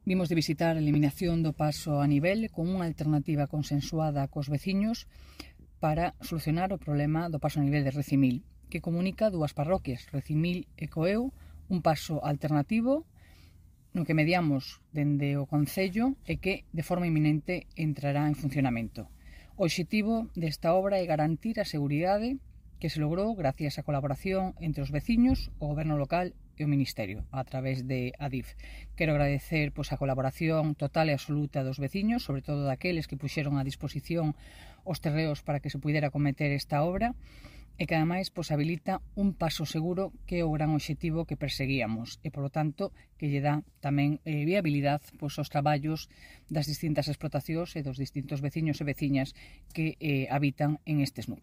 Vimos de visitar a eliminación do paso a nivel con unha alternativa consensuada cos veciños para solucionar o problema do paso a nivel de Recimil, que comunica dúas parroquias, Recimil e Coeu, un paso alternativo no que mediamos dende o Concello e que de forma inminente entrará en funcionamento. O obxectivo desta obra é garantir a seguridade que se logrou gracias á colaboración entre os veciños, o goberno local e o Ministerio, a través de Adif. Quero agradecer a colaboración total e absoluta dos veciños, sobre todo daqueles que puxeron a disposición os terreos para que se puidera cometer esta obra, e que ademais habilita un paso seguro, que é o gran obxectivo que perseguíamos, e polo tanto que lle dá tamén viabilidade aos traballos das distintas explotacións e dos distintos veciños e veciñas que habitan en estes núcleos.